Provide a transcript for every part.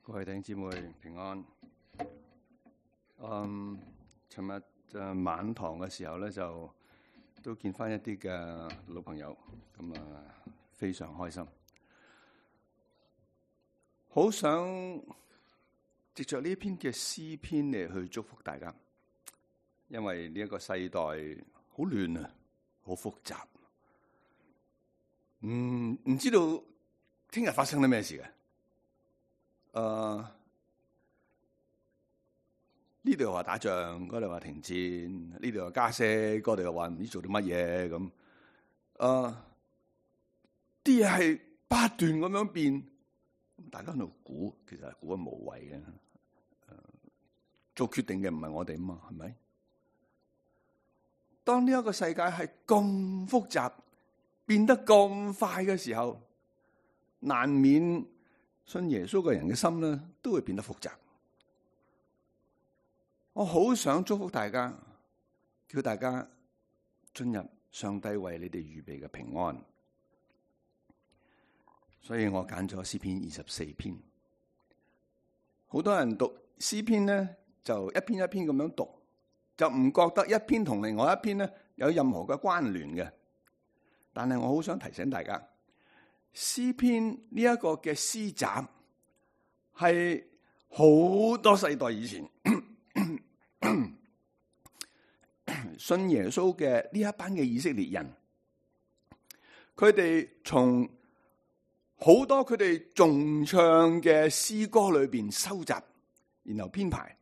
各位弟兄姊妹平安。尋日晚堂嘅時候咧，就都見翻一啲嘅老朋友，咁非常開心。好想藉着呢一篇嘅詩篇嚟去祝福大家，因為呢一個世代好亂啊，好複雜，唔知道聽日發生啲咩事嘅。呢度又話打仗，嗰度話停戰，呢度又加息，嗰度又話唔知做啲乜嘢咁。啲嘢係不斷咁樣變，大家喺度估，其實係估得無謂嘅。做決定嘅唔係我哋啊嘛，係咪？當呢一個世界係咁複雜，變得咁快嘅時候，難免信耶穌嘅人嘅心咧，都會變得複雜。我好想祝福大家，叫大家進入上帝為你哋預備嘅平安。所以我揀咗詩篇24篇。好多人讀詩篇咧，就一篇一篇咁樣讀，就唔覺得一篇同另外一篇咧有任何嘅關聯嘅。但係我好想提醒大家，詩篇呢一個嘅詩集係好多世代以前信耶穌嘅呢一班嘅以色列人，佢哋從好多佢哋重唱嘅詩歌裏邊收集，然後編排，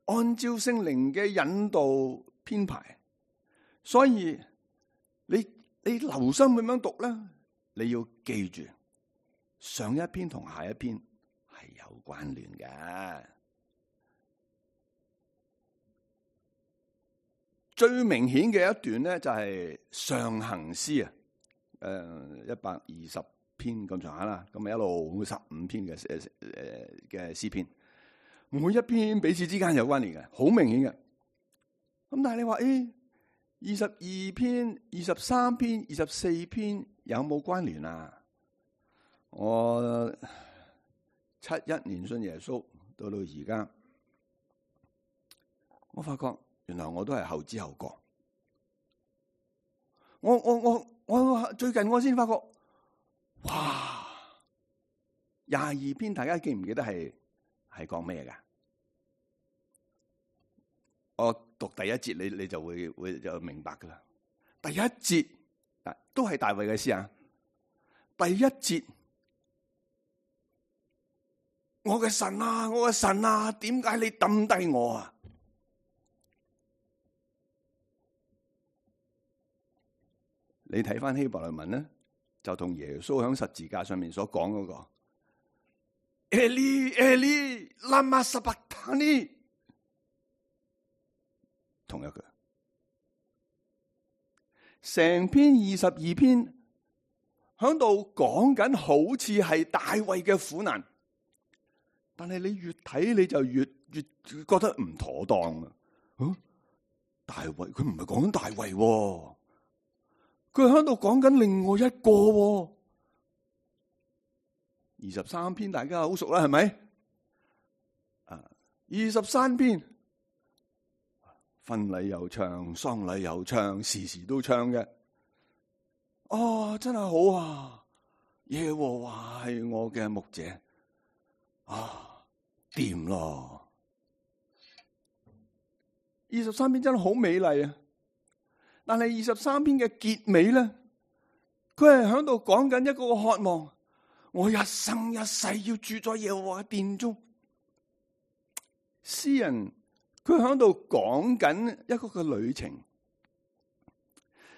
按照聖靈嘅引導編排。所以你留心咁樣讀啦，你要記住上一篇同下一篇係有關聯嘅。最明顯嘅一段咧就係上行詩啊，120篇咁上下啦，咁咪一路15篇嘅詩篇，每一篇彼此之間有關聯嘅，好明顯嘅。咁但係你話22篇、23篇、24篇有冇關聯啊？我71年信耶穌，到而家，我發覺原來我都係後知後覺。我最近我先發覺，哇！22篇大家記唔記得係講咩噶？我讀第一節，你就會就明白噶啦。第一節都係大衛嘅詩啊。第一節，我嘅神啊，我嘅神啊，點解你抌低我啊？你睇翻希伯來文咧，就同耶穌喺十字架上面所講嗰個Eli Eli lama sabachthani同一句。成篇22篇喺度講緊好似係大衛嘅苦難，但係你越睇你就越覺得唔妥當啊！大衛佢唔係講緊大衛喎，佢喺度講緊另外一個喎。23篇大家好熟啦，係咪？23篇婚禮又唱，喪禮又唱，時時都唱嘅。真係好啊！耶和華係我嘅牧者，掂咯。23篇真係好美麗啊！但係23篇嘅結尾咧，佢係喺度講緊一個渴望，我一生一世要住在耶和華殿中。詩人佢喺度講緊一個嘅旅程，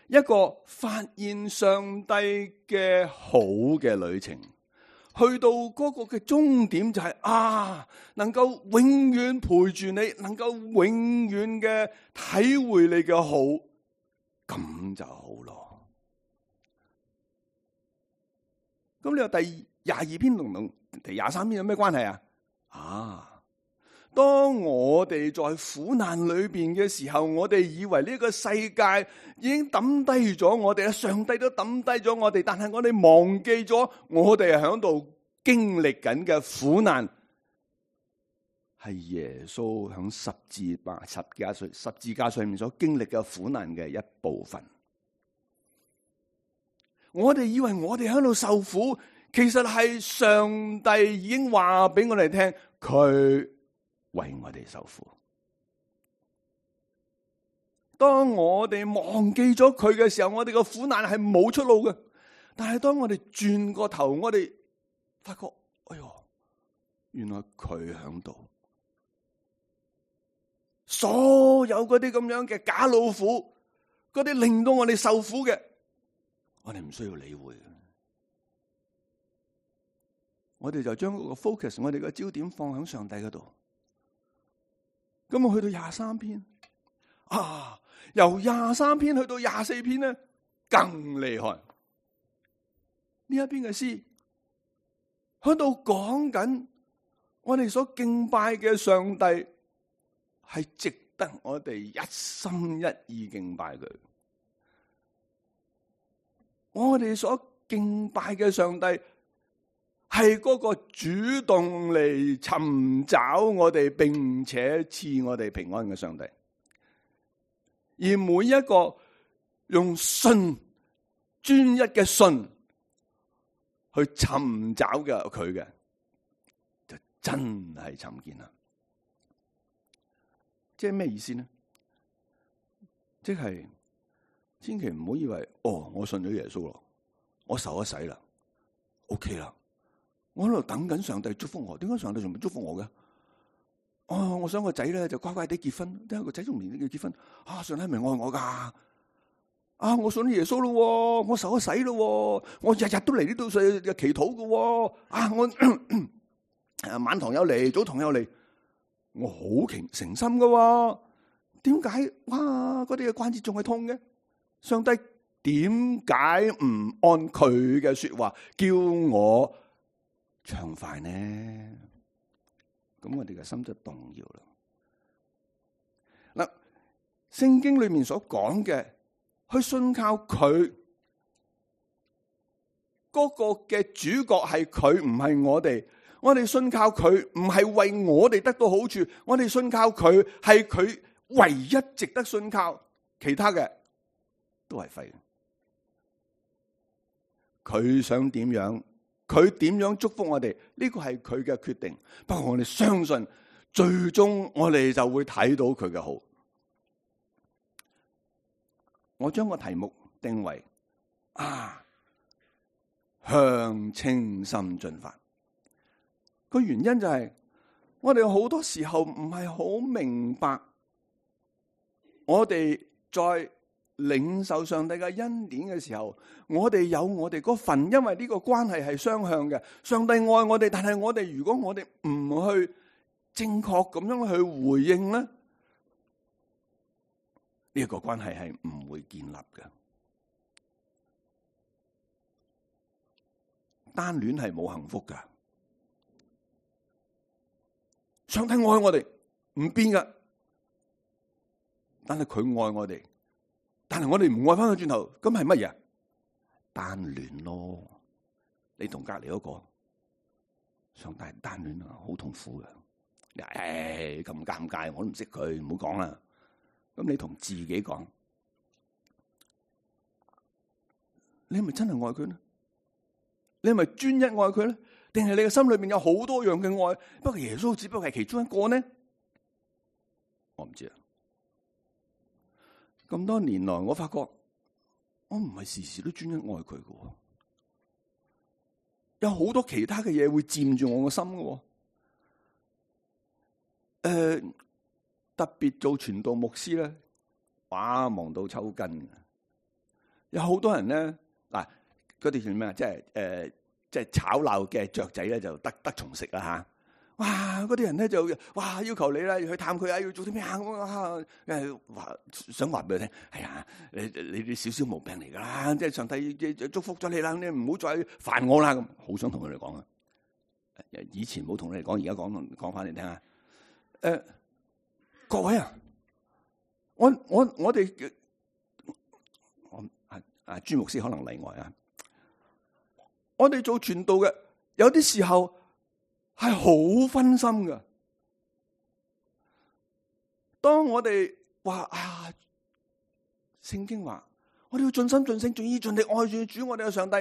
一個發現上帝嘅好嘅旅程，去到嗰個嘅終點就係能夠永遠陪住你，能夠永遠嘅體會你嘅好，咁就好咯。咁你話第22篇同第23篇有咩關係啊？當我哋在苦難裏邊嘅時候，我哋以為呢個世界已經抌低咗我哋，上帝都抌低咗我哋，但係我哋忘記咗我哋係喺度經歷緊嘅苦難，係耶穌響十字架上面所經歷嘅苦難嘅一部分。我哋以為我哋喺度受苦，其實係上帝已經話俾我哋聽，佢為我哋受苦。當我哋忘記咗佢嘅時候，我哋嘅苦難係冇出路嘅。但係當我哋轉個頭，我哋發覺，哎喲，原來佢喺度。所有嗰啲咁樣嘅假老虎，嗰啲令到我哋受苦嘅，我哋唔需要理會。我哋就將個 focus， 我哋嘅焦點放喺上帝嗰度。咁我去到23篇，由23篇去到24篇咧，更厲害。呢一篇嘅詩喺度講緊我哋所敬拜嘅上帝係值得我哋一心一意敬拜佢。我哋所敬拜嘅上帝係嗰個主動嚟尋找我哋，並且賜我哋平安嘅上帝。而每一個用信，專一嘅信去尋找嘅佢嘅，就真係尋見啦。即係咩意思呢？即係千祈唔好以為，我信咗耶穌咯，我受咗洗啦 ，OK 啦，我喺度等緊上帝祝福我。點解上帝仲未祝福我嘅？我想個仔咧就乖乖地結婚，點解個仔仲唔要結婚？上帝係咪愛我噶？我信咗耶穌咯，我受咗洗咯，我日日都嚟呢度祈禱噶，我晚堂有嚟，早堂有嚟，我好誠心噶。點解嗰啲嘅關節仲係痛嘅？上帝點解唔按佢嘅說話叫我暢快呢？咁我哋嘅心就動搖啦。嗱，聖經裏面所講嘅，去信靠佢嗰個嘅主角係佢，唔係我哋。我哋信靠佢唔係為我哋得到好處，我哋信靠佢係佢唯一值得信靠，其他嘅都係廢。佢想點樣，佢點樣祝福我哋，呢個係佢嘅決定。不過我哋相信，最終我哋就會睇到佢嘅好。我將個題目定為向清心進發。個原因就係我哋好多時候唔係好明白，我哋在領受上帝嘅恩典嘅時候，我哋有我哋嗰份，因為呢個關係係雙向嘅。上帝愛我哋，但係我哋如果我哋唔去正確咁樣去回應咧，呢個關係係唔會建立嘅。單戀係冇幸福噶。上帝愛我哋唔變噶，但係佢愛我哋，但係我哋唔愛翻佢轉頭，咁係乜嘢？單戀咯。你同隔籬嗰個上帝單戀啊，好痛苦噶。咁尷尬，我都唔識佢，唔好講啦。咁你同自己講，你係咪真係愛佢呢？你係咪專一愛佢咧？定係你嘅心裏面有好多樣嘅愛，不過耶穌只不過係其中一個呢？我唔知啊。咁多年來，我發覺我唔係時時都專一愛佢嘅，有好多其他嘅嘢會佔住我個心嘅。特別做傳道牧師咧，忙到抽筋。有好多人咧，嗱，嗰啲叫咩啊？即係吵鬧嘅雀仔咧，就得蟲食啦吓！哇，嗰啲人咧就要求你啦，去探佢啊，要做啲咩啊？想話俾佢聽，係啊，你啲少少毛病嚟噶啦，即係上帝祝福咗你啦，你唔好再煩我啦咁，好想同佢哋講啊！以前冇同你哋講，而家講翻你聽啊！各位啊，我哋朱牧師可能例外啊。我哋做傳道嘅有啲時候係好分心㗎。當我哋話啊，聖經話我哋要盡心盡性盡意盡力愛住主我哋嘅上帝，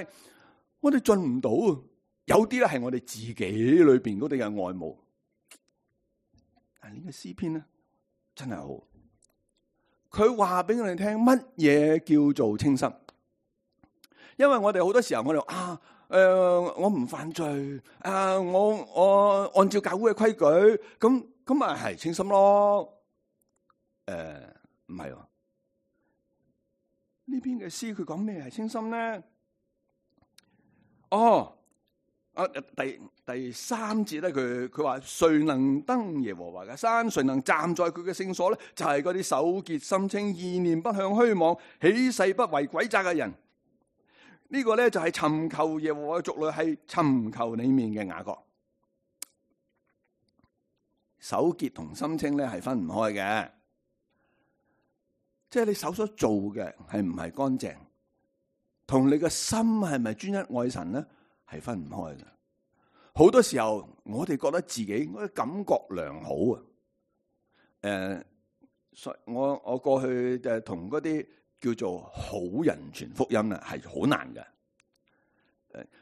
我哋盡唔到啊！有啲咧係我哋自己裏邊嗰啲嘅愛慕。但係呢個詩篇咧真係好，佢話俾我哋聽乜嘢叫做清心。因為我哋好多時候我哋我唔犯罪我按照教會嘅規矩，咁咪係清心咯。唔係喎，呢篇嘅詩佢講咩係清心咧？第三節咧，佢話誰能登耶和華嘅山，誰能站在佢嘅聖所咧？就係嗰啲手潔心清、意念不向虛妄、起誓不為詭詐嘅人。呢個咧就係尋求耶和華嘅族類，係尋求裏面嘅雅各。手潔同心清咧係分唔開嘅，即係你手所做嘅係唔係乾淨，同你嘅心係咪專一愛神咧，係分唔開嘅。好多時候我哋覺得自己感覺良好啊。我過去同嗰啲叫做好人傳福音啊，係好難嘅。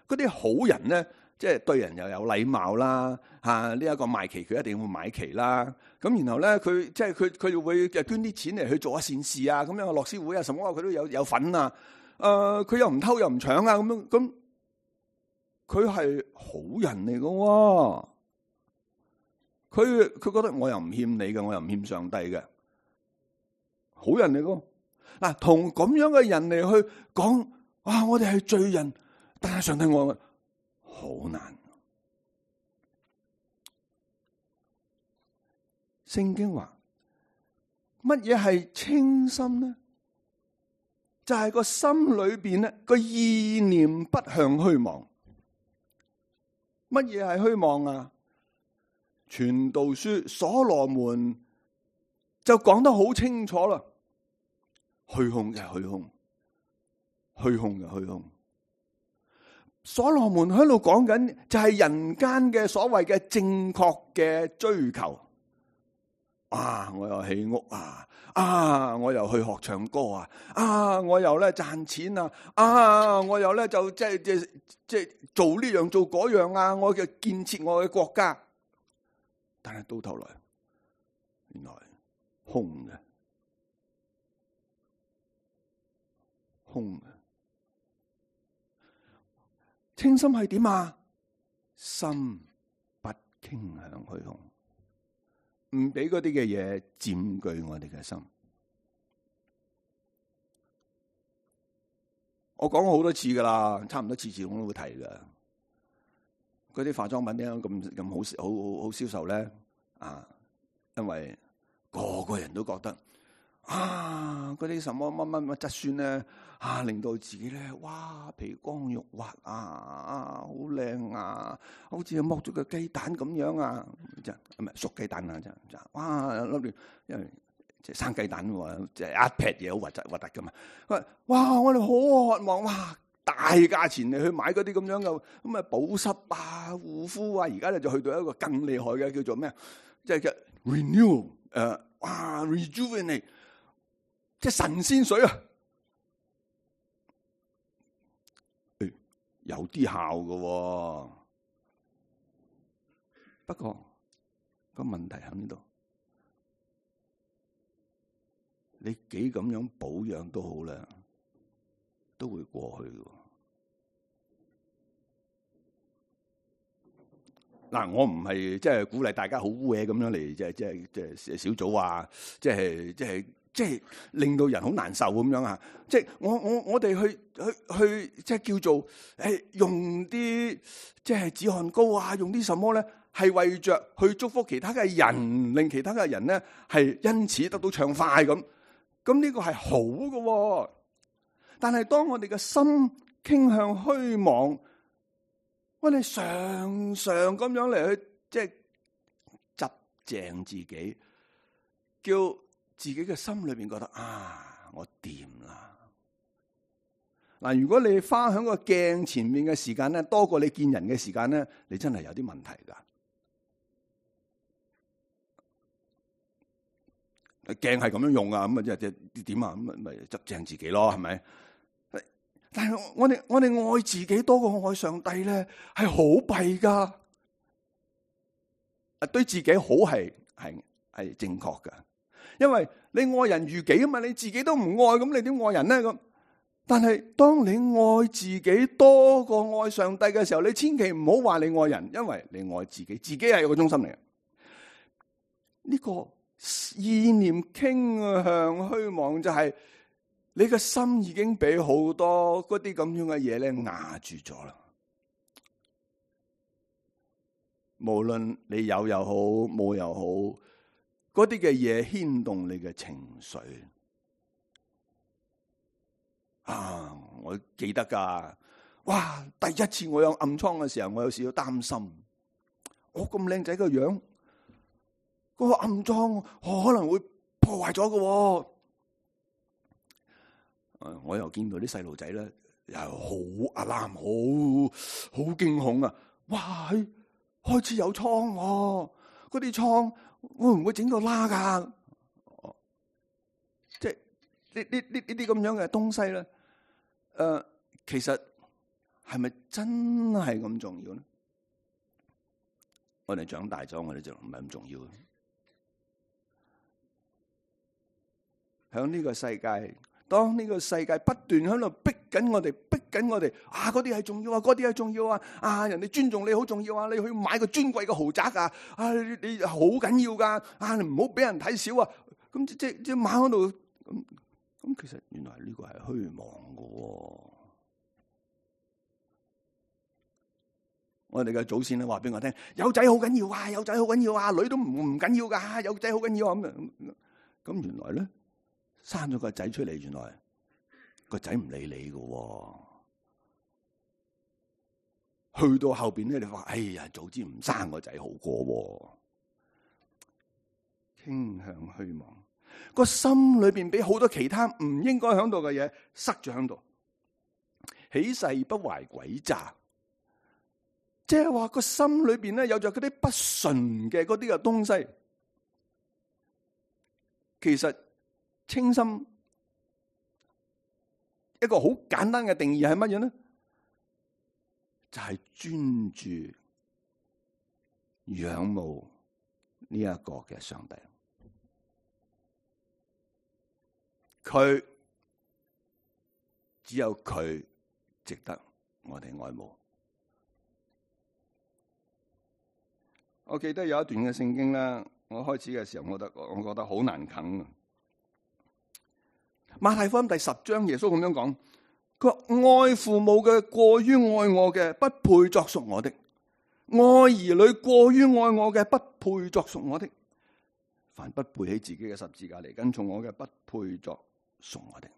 嗰啲好人咧，即係對人又有禮貌啦，呢一個賣旗佢一定會買旗啦。咁然後咧，佢會捐啲錢嚟去做下善事啊，咁樣樂施會啊，什麼佢都有份啊。佢又唔偷又唔搶啊，咁樣咁，佢係好人嚟㗎。佢覺得我又唔欠你嘅，我又唔欠上帝嘅，好人嚟㗎。嗱，同咁樣嘅人嚟去講，我哋係罪人，但係上帝愛我，好難。聖經話乜嘢係清心呢？就係個心裏邊咧，個意念不向虛妄。乜嘢係虛妄啊？傳道書所羅門就講得好清楚啦。虛空嘅虛空，虛空嘅虛空。所羅門喺度講緊就係人間嘅所謂嘅正確嘅追求。我又起屋我又去學唱歌我又咧賺錢我又咧就即係做呢樣做嗰樣我嘅建設我嘅國家。但係到頭來，原來空嘅。空嘅清心係點啊？心不傾向虛空，唔俾嗰啲嘅嘢佔據我哋嘅心。我講過好多次噶啦，差唔多次次我都會提噶。嗰啲化妝品點解咁好銷售咧？因為個個人都覺得嗰啲什麼乜質酸咧令到自己咧皮光肉滑好靚好似剝咗個雞蛋咁樣唔係熟雞蛋粒因為即係生雞蛋即係一劈嘢好核突噶嘛。我哋好渴望大價錢嚟去買嗰啲咁樣嘅咁保濕護膚而家咧就去到一個更厲害嘅叫做咩？即係叫 renew rejuvenate， 即係神仙水有啲效嘅，不過個問題喺呢度，你幾咁樣保養都好啦，都會過去嘅。我唔係即係鼓勵大家好污嘢咁樣嚟，即係小組即係令到人好難受咁樣即係我哋去即係叫做用啲即係止汗膏用啲什麼咧，係為着去祝福其他嘅人，令其他嘅人咧係因此得到暢快咁。咁呢個係好嘅，但係當我哋嘅心傾向虛妄，我哋常常咁樣嚟去即係執正自己，叫自己嘅心裏邊覺得我掂啦，嗱，如果你花喺個鏡前面嘅時間咧，多過你見人嘅時間咧，你真係有啲問題噶。鏡係咁樣用啊，咁啊即係點啊？咁咪執正自己咯，係咪？但係我哋愛自己多過愛上帝咧，係好弊噶。對自己好係正確噶，因為你愛人如己啊嘛，你自己都唔愛，咁你點愛人咧？咁但係當你愛自己多過愛上帝嘅時候，你千祈唔好話你愛人，因為你愛自己，自己係個中心嚟嘅。呢個意念傾向虛妄，就係你嘅心已經俾好多嗰啲咁樣嘅嘢咧壓住咗啦。無論你有又好，冇又好，嗰啲嘅嘢牽動你嘅情緒。啊，我記得噶，哇！第一次我有暗瘡嘅時候，我有少少擔心。我咁靚仔嘅樣，嗰個暗瘡可能會破壞咗嘅。我又見到啲細路仔咧，又好阿藍，好驚恐啊！哇！開始有瘡喎，嗰啲瘡會唔會整到拉噶？即係呢啲咁樣嘅東西咧，其實係咪真係咁重要咧？我哋長大咗，我哋就唔係咁重要。響呢個世界，當呢個世界不斷喺度逼緊我哋，啊！嗰啲係重要啊，嗰啲係重要啊！啊！人哋尊重你好重要啊！你去買個尊貴嘅豪宅啊！啊！你好緊要噶！啊！你唔好俾人睇小啊！咁即買喺度咁，其實原來呢個係虛妄嘅。我哋嘅祖先咧話俾我聽，有仔好緊要啊！有仔好緊要啊！女都唔緊要噶，有仔好緊要啊！咁原來咧生咗個仔出嚟，原來個仔唔理你嘅。去到後邊咧，你話：哎呀，早知唔生個仔好過。傾向虛妄，個心裏邊俾好多其他唔應該響度嘅嘢塞咗響度，起誓不懷詭詐，即係話個心裏邊咧有着嗰啲不純嘅嗰啲嘅東西。其實清心一個好簡單嘅定義係乜嘢呢？就係專注仰慕呢一個嘅上帝，佢只有佢值得我哋愛慕。我記得有一段嘅聖經啦，我開始嘅時候，我覺得好難啃。馬太福音第10章，耶穌咁樣講。佢話愛父母嘅過於愛我嘅，不配作屬我的；愛兒女過於愛我嘅，不配作屬我的。凡不背起自己嘅十字架嚟跟從我嘅，不配作屬我的。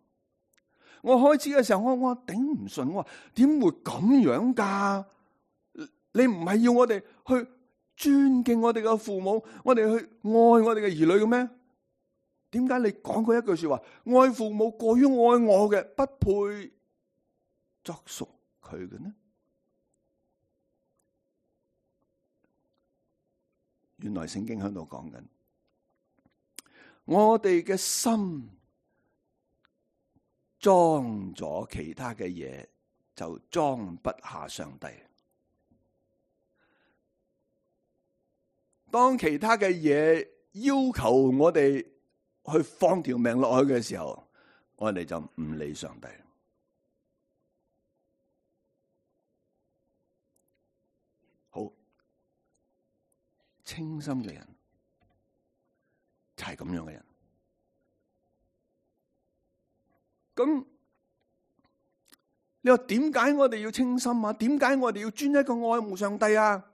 我開始嘅時候，我頂唔順，我話點會咁樣噶？你唔係要我哋去尊敬我哋嘅父母，我哋去愛我哋嘅兒女嘅咩？點解你講過一句說話，愛父母過於愛我嘅，不配作屬佢嘅呢？原來聖經喺度講緊，我哋嘅心裝咗其他嘅嘢，就裝不下上帝。當其他嘅嘢要求我哋去放條命落去嘅時候，我哋就唔理上帝。好，清心嘅人就係咁樣嘅人。咁你話點解我哋要清心啊？點解我哋要專一個愛慕上帝啊？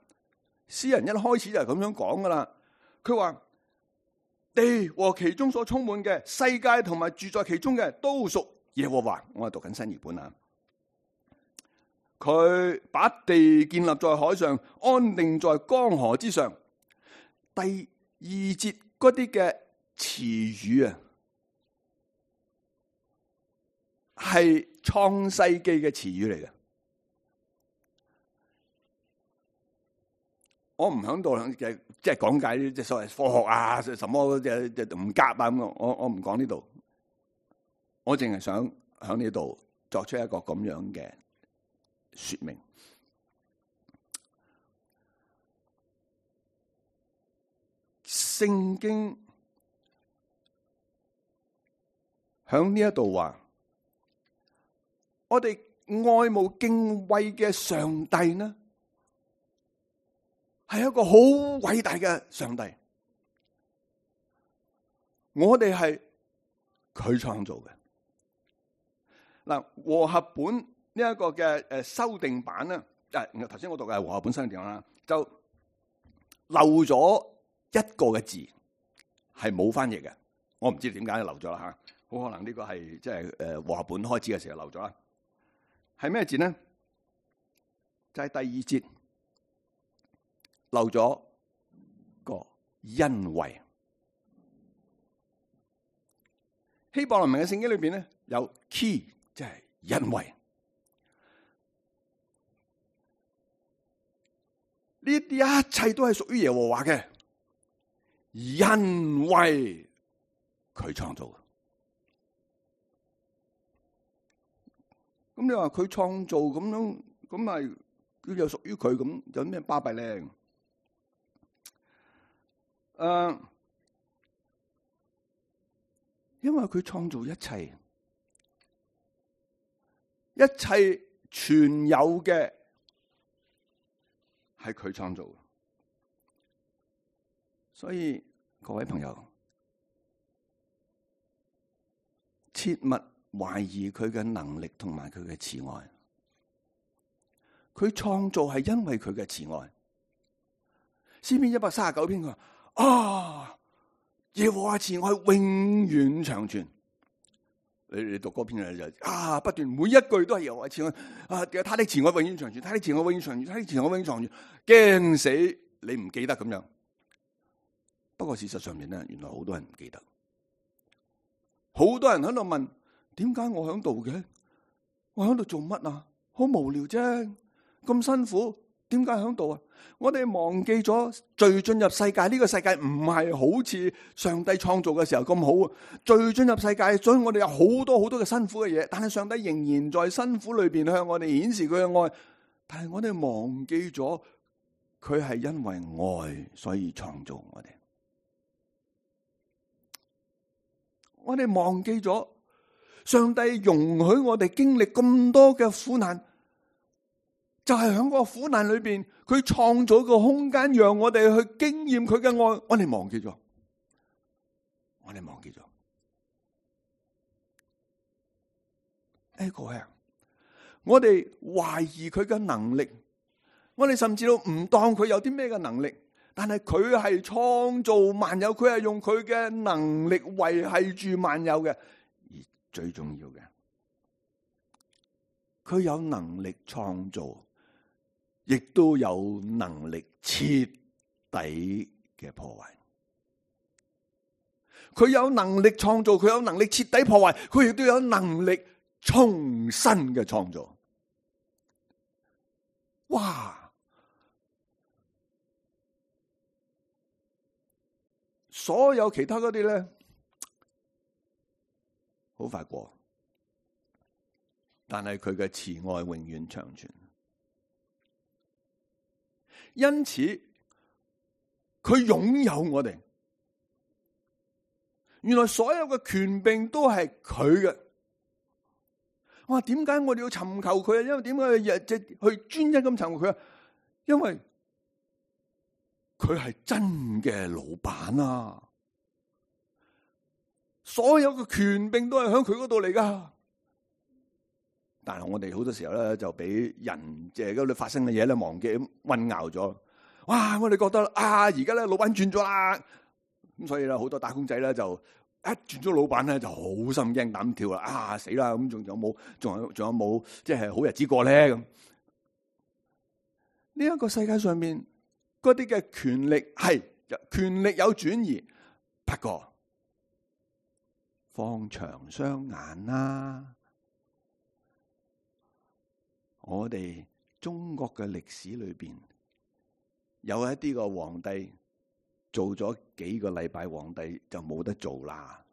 詩人一開始就係咁樣講噶啦。佢話地和其中所充滿嘅，世界同埋住在其中嘅，都屬耶和華。我係讀緊新譯本啊。佢把地建立在海上，安定在江河之上。第二節嗰啲嘅詞語啊，係創世記嘅詞語嚟嘅。我唔響度嘅，即係講解啲即係所謂科學啊，什麼唔夾啊咁。我唔講呢度，我淨係想響呢度作出一個咁樣嘅說明。聖經響呢一度話，我哋愛慕敬畏嘅上帝呢，係一個好偉大嘅上帝。我哋係佢創造嘅。嗱，和合本呢一個嘅修訂版咧，頭先我讀嘅係和合本修訂版啦，就漏咗一個嘅字係冇翻譯嘅。我唔知點解漏咗啦吓，好可能呢個係即係和合本開始嘅時候漏咗啦。係咩字呢？就係第二節漏咗個因為。希伯來文嘅聖經裏邊咧有 key， 即係因為。呢啲一切都係屬於耶和華嘅，因為佢創造。咁你話佢創造咁樣，咁咪佢又屬於佢，咁有咩巴閉咧？因為佢創造一切，一切全有嘅係佢創造嘅，所以各位朋友，切勿懷疑佢嘅能力同埋佢嘅慈愛。佢創造係因為佢嘅慈愛。詩篇139篇佢話啊，耶和華慈愛永遠長存。你讀嗰篇就啊，不斷每一句都係耶和華慈愛啊，他的慈愛永遠長存，他的慈愛永遠長存，他的慈愛永遠長存，驚死你唔記得咁樣。不過事實上面咧，原來好多人唔記得，好多人喺度問：點解我喺度嘅？我喺度做乜啊？好無聊啫，咁辛苦，點解喺度啊？我哋忘記咗罪進入世界，呢個世界唔係好似上帝創造嘅時候咁好啊！罪進入世界，所以我哋有好多好多嘅辛苦嘅嘢，但係上帝仍然在辛苦裏邊向我哋顯示佢嘅愛。但係我哋忘記咗，佢係因為愛所以創造我哋。我哋忘記咗，上帝容許我哋經歷咁多嘅苦難，就係喺個苦難裏邊，佢創造個空間，讓我哋去經驗佢嘅愛。我哋忘記咗，我哋忘記咗。各位啊，我哋懷疑佢嘅能力，我哋甚至都唔當佢有啲咩嘅能力。但係佢係創造萬有，佢係用佢嘅能力維繫住萬有嘅。而最重要嘅，佢有能力創造，亦都有能力徹底嘅破壞。佢有能力創造，佢有能力徹底破壞，佢亦都有能力重新嘅創造。哇！所有其他嗰啲咧，好快過，但係佢嘅慈愛永遠長存。因此，佢擁有我哋。原來所有嘅權柄都係佢嘅。我話點解我哋要尋求佢啊？因為點解日即去專一咁尋求佢啊？因為佢係真嘅老闆啊！所有嘅權柄都係喺佢嗰度嚟噶。但係我哋好多時候咧就俾人即係嗰度發生嘅嘢咧忘記混淆咗。哇！我哋覺得啊，而家咧老闆轉咗啦，咁所以咧好多打工仔咧就一轉咗老闆咧就好心驚膽跳啦。啊死啦！咁仲有冇即係好日子過咧？咁呢一個世界上面嗰啲嘅權力係權力有轉移，不過放長雙眼啦。我哋中國嘅歷史裏邊有一啲個皇帝做咗幾個禮拜皇帝就冇得做啦。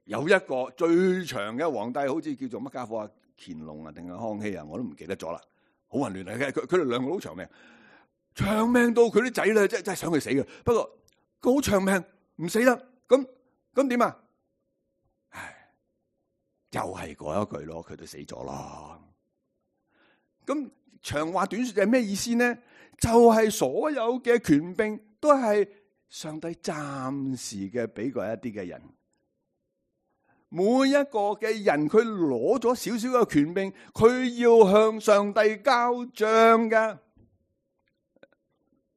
有一個最長嘅皇帝，好似叫做乜家伙啊？乾隆啊，定係康熙啊？我都唔記得咗啦，好混亂啊！佢哋兩個好長命，長命到佢啲仔咧，真係想佢死嘅。不過佢好長命，唔死得，咁點啊？唉，又係嗰一句咯，佢都死咗咯。咁長話短說就係咩意思呢？就係所有嘅權柄都係上帝暫時嘅俾過一啲嘅人。每一個嘅人，佢攞咗少少嘅權柄，佢要向上帝交賬㗎。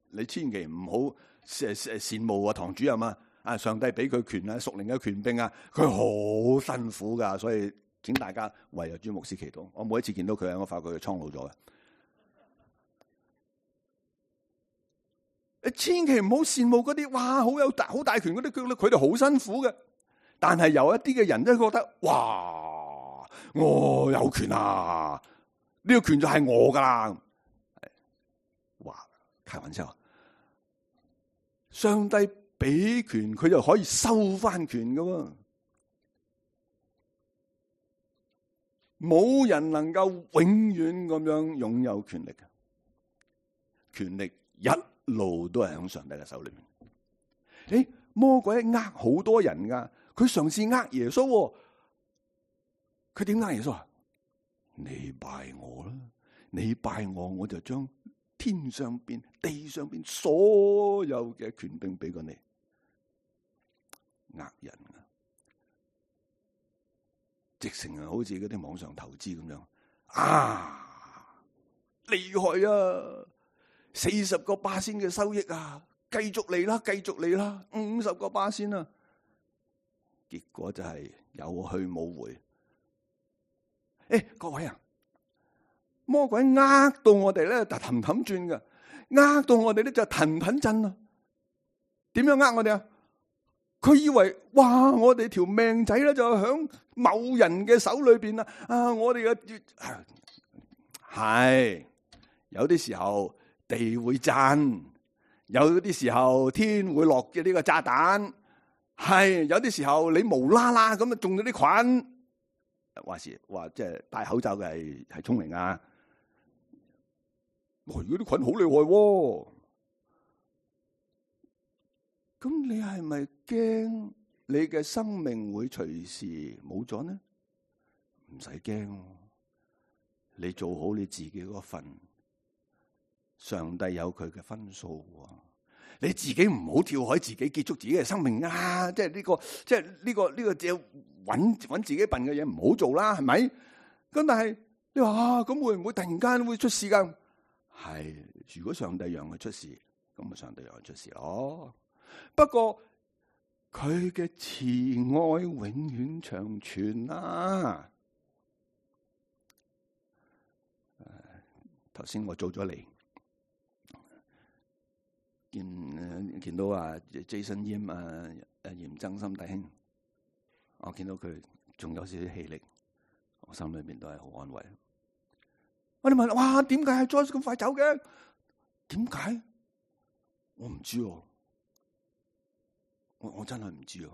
你千祈唔好羨慕啊堂主任啊，上帝俾佢權啊，屬靈嘅權柄啊，佢好辛苦噶。所以請大家為阿朱牧師祈禱。我每一次見到佢，我發覺佢蒼老咗嘅。你千祈唔好羨慕嗰啲，哇，好大權嗰啲，佢哋好辛苦嘅。但係有一啲嘅人都覺得，哇，我有權啊，呢個權就係我噶啦。哇，開玩笑，上帝俾權，佢就可以收翻權噶喎。冇人能夠永遠咁樣擁有權力嘅，權力一路都係喺上帝嘅手裏面。魔鬼呃好多人噶。佢嘗試呃耶穌，佢點呃耶穌啊？你拜我啦，你拜我，我就將天上邊、地上邊所有嘅權柄俾過你。呃人啊，直情係好似嗰啲網上投資咁樣啊，厲害啊！40%嘅收益啊，繼續嚟啦，繼續嚟啦，50%啊！結果就係有去冇回。各位啊，魔鬼呃到我哋咧就氹氹轉噶，呃到我哋咧就騰騰震啊。點樣呃我哋啊？佢以為哇，我哋條命仔咧就響某人嘅手裏邊啦。啊，我哋嘅係有啲時候地會震，有啲時候天會落嘅呢個炸彈。係有啲時候你無啦啦咁啊中咗啲菌，話即係戴口罩嘅係聰明啊！如果啲菌好厲害，咁你係咪驚你嘅生命會隨時冇咗呢？唔使驚，你做好你自己嗰份，上帝有佢嘅分數。你自己唔好跳海，自己結束自己嘅生命啊！即係呢個只揾自己笨嘅嘢唔好做啦，係咪？咁但係你話咁會唔會突然間會出事噶？係，如果上帝讓佢出事，咁咪上帝讓佢出事咯。不過佢嘅慈愛永遠長存啊！頭先我做咗嚟。見到Jason Yim 嚴增心弟兄，我見到佢仲有少少氣力，我心裏面都係好安慰。我哋問：哇，點解係 Joyce 咁快走嘅？點解？我唔知喎，我真係唔知喎。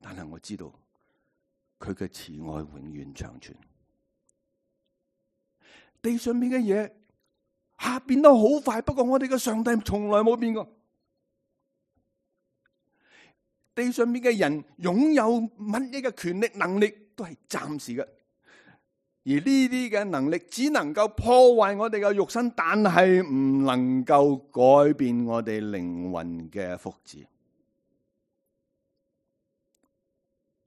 但係我知道佢嘅慈愛永遠長存。地上面嘅嘢變得好快，不過我哋嘅上帝從來冇變過。地上面嘅人擁有乜嘢嘅權力能力都係暫時嘅，而呢啲嘅能力只能夠破壞我哋嘅肉身，但係唔能夠改變我哋靈魂嘅福祉。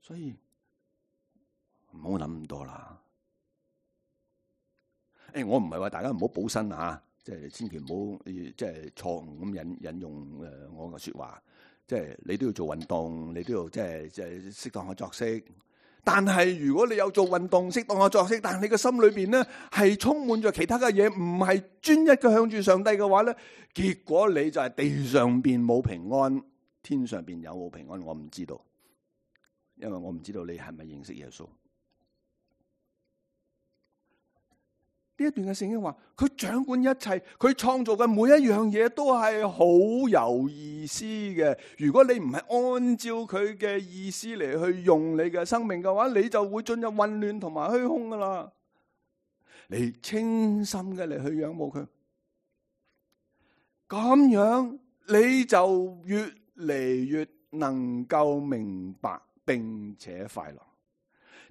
所以唔好諗咁多啦。我唔係話大家唔好補身啊，即係千祈唔好即係錯誤咁引用我嘅說話。即係你都要做運動，你都要即係適當嘅作息。但係如果你有做運動、適當嘅作息，但係你嘅心裏邊咧係充滿咗其他嘅嘢，唔係專一嘅向住上帝嘅話咧，結果你就係地上邊冇平安，天上邊有冇平安，我唔知道，因為我唔知道你係咪認識耶穌。呢一段嘅聖經話，佢掌管一切，佢創造嘅每一樣嘢都係好有意思嘅。如果你唔係按照佢嘅意思嚟去用你嘅生命嘅話，你就會進入混亂同埋虛空噶啦。你清心嘅嚟去仰慕佢，咁樣你就越嚟越能夠明白並且快樂。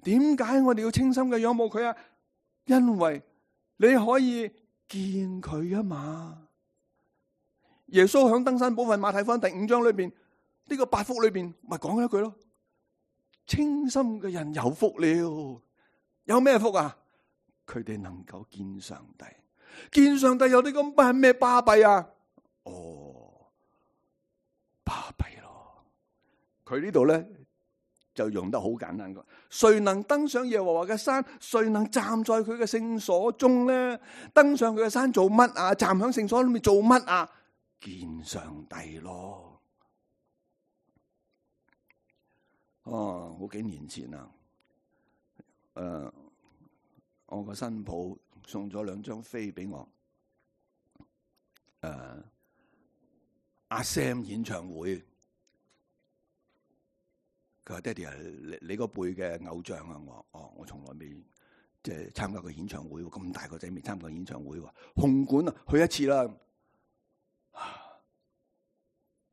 點解我哋要清心嘅仰慕佢啊？因為你可以見佢啊嘛！耶穌響登山寶訓馬太福音第5章裏邊，呢個8福裏邊咪講一句咯：清心嘅人有福了。有咩福啊？佢哋能夠見上帝。見上帝有啲咁係咩巴閉啊？巴閉咯！佢呢度咧就用得好簡單嘅，誰能登上耶和華嘅山？誰能站在佢嘅聖所中咧？登上佢嘅山做乜啊？站響聖所裏面做乜啊？見上帝咯！好幾年前啊，我個新抱送咗2張飛俾我，阿 Sam 演唱會。佢話：爹哋係你個輩嘅偶像啊！我從來未即係參加過演唱會，咁大個仔未參加過演唱會喎。紅館啊，去一次啦。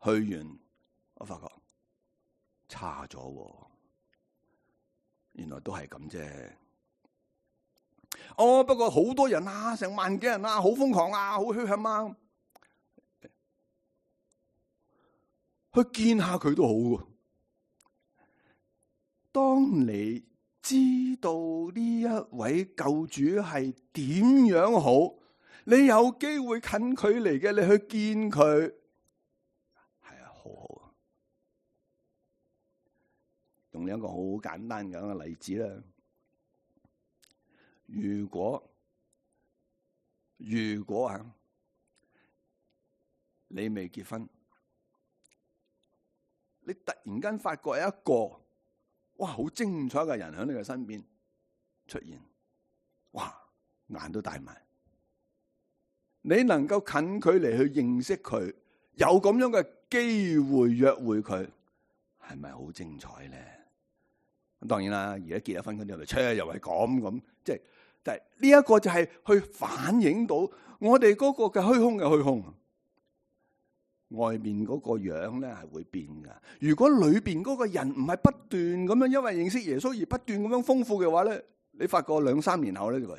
去完我發覺差咗，原來都係咁啫。不過好多人啊，成萬幾人啊，好瘋狂啊，好墟冚啊，去見下佢都好喎。當你知道呢一位救主係點樣好，你有機會近距離嘅，你去見佢，係啊，好好啊。用一個好簡單嘅例子啦。如果你未結婚，你突然間發覺有一個好精彩嘅人喺你嘅身邊出現，眼都大埋。你能夠近距離去認識佢，有咁樣嘅機會約會佢，係咪好精彩咧？當然啦，而家結咗婚嗰啲又係咁，即係呢一個就係去反映到我哋嗰個嘅虛空嘅虛空。外面嗰個樣咧係會變噶。如果裏邊嗰個人唔係不斷咁樣因為認識耶穌而不斷咁樣豐富嘅話咧，你發覺2-3年後咧就話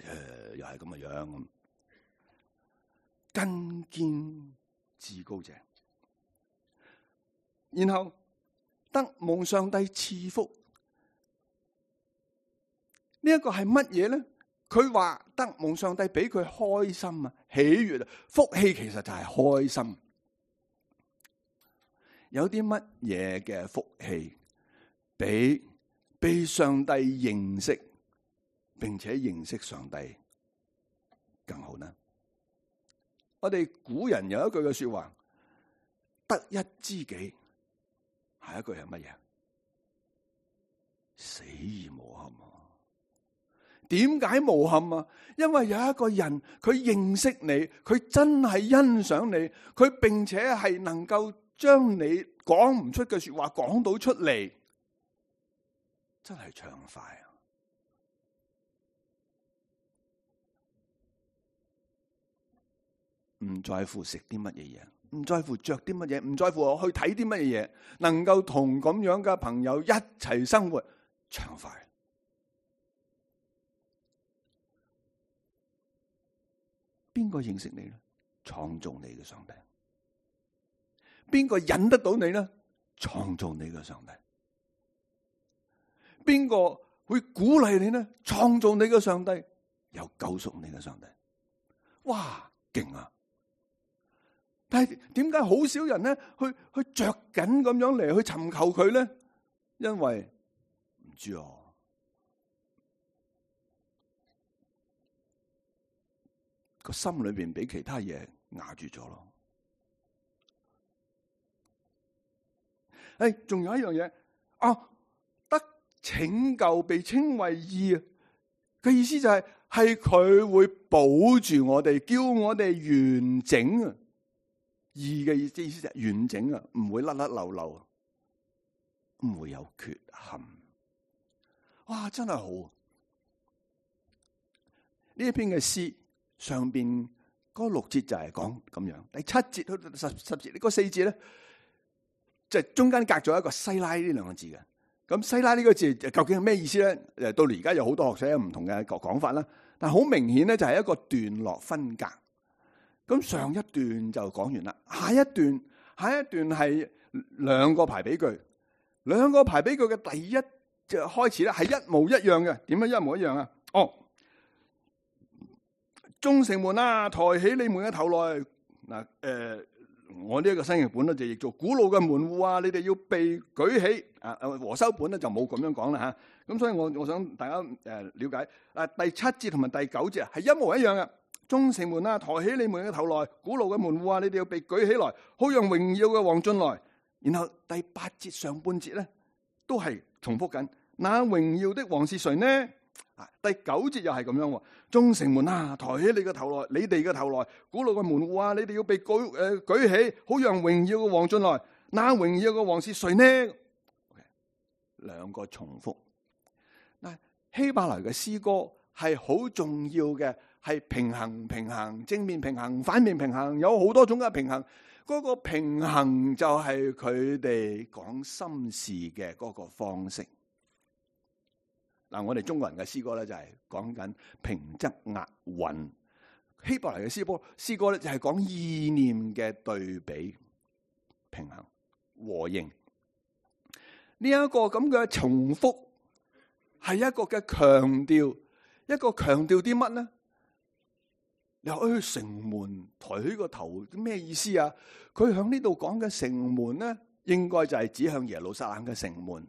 又係咁嘅樣咁。根堅至高者，然後得蒙上帝賜福。呢一個係乜嘢咧？佢話得蒙上帝俾佢開心啊、喜悅啊，福氣其實就係開心。有啲乜嘢嘅福氣比被上帝認識並且認識上帝更好呢？我哋古人有一句嘅說話，得一知己，下一句係乜嘢？死而無憾。點解無憾啊？因為有一個人佢認識你，佢真係欣賞你，佢並且係能夠將你講唔出嘅說話講到出嚟，真係暢快啊！唔在乎食啲乜嘢嘢，唔在乎着啲乜嘢，唔在乎我去睇啲乜嘢嘢，能夠同咁樣嘅朋友一齊生活，暢快。邊個認識你咧？創造你嘅上帝。邊個忍得到你咧？創造你嘅上帝。邊個會鼓勵你咧？創造你嘅上帝，有救贖你嘅上帝。哇，勁啊！但係點解好少人咧去着緊咁樣嚟去尋求佢咧？因為唔知啊。個心裏邊俾其他嘢壓住咗咯。仲有一樣嘢得拯救被稱為義嘅意思就係係佢會保住我哋，叫我哋完整啊！義嘅意思就係完整啊，唔會甩甩漏漏，唔會有缺陷。哇，真係好！呢一篇嘅詩上邊嗰6節就係講咁樣，第7節到10節，呢個4節咧，就中間隔咗一個西拉呢兩個字嘅。咁西拉呢個字究竟係咩意思咧？到而家有好多學者有唔同嘅講法啦。但好明顯咧，就係一個段落分隔。咁上一段就講完啦，下一段係兩個排比句，兩個排比句嘅第一就開始咧係一模一樣嘅。點樣一模一樣啊？眾城門啊，抬起你們嘅頭來。嗱，我呢一個新譯本咧就譯做古老嘅門戶啊，你哋要被舉起。和修本咧就冇咁樣講啦吓。咁所以我想大家了解。第7節同埋第9節係一模一樣嘅。眾城門啊，抬起你們嘅頭來，古老嘅門戶啊，你哋要被舉起來，好讓榮耀嘅王進來。然後第8節上半節咧都係重複緊。那榮耀的王是誰呢？第9節又係咁樣。眾城門啊，抬起你嘅頭來，你哋嘅頭來，古老嘅門戶啊，你哋要被舉起，好讓榮耀嘅王進來。那榮耀嘅王是誰呢？兩個重複。嗱，希伯來嘅詩歌係好重要嘅，係平衡，正面平衡，反面平衡，有好多種嘅平衡。嗰個平衡就係佢哋講心事嘅嗰個方式。嗱，我哋中國人嘅詩歌咧就係講緊平仄押韻，希伯來嘅詩歌咧就係講意念嘅對比、平衡、和應。呢一個咁嘅重複係一個嘅強調，一個強調啲乜呢？你話城門抬起個頭咩意思啊？佢響呢度講嘅城門咧，應該就係指向耶路撒冷嘅城門。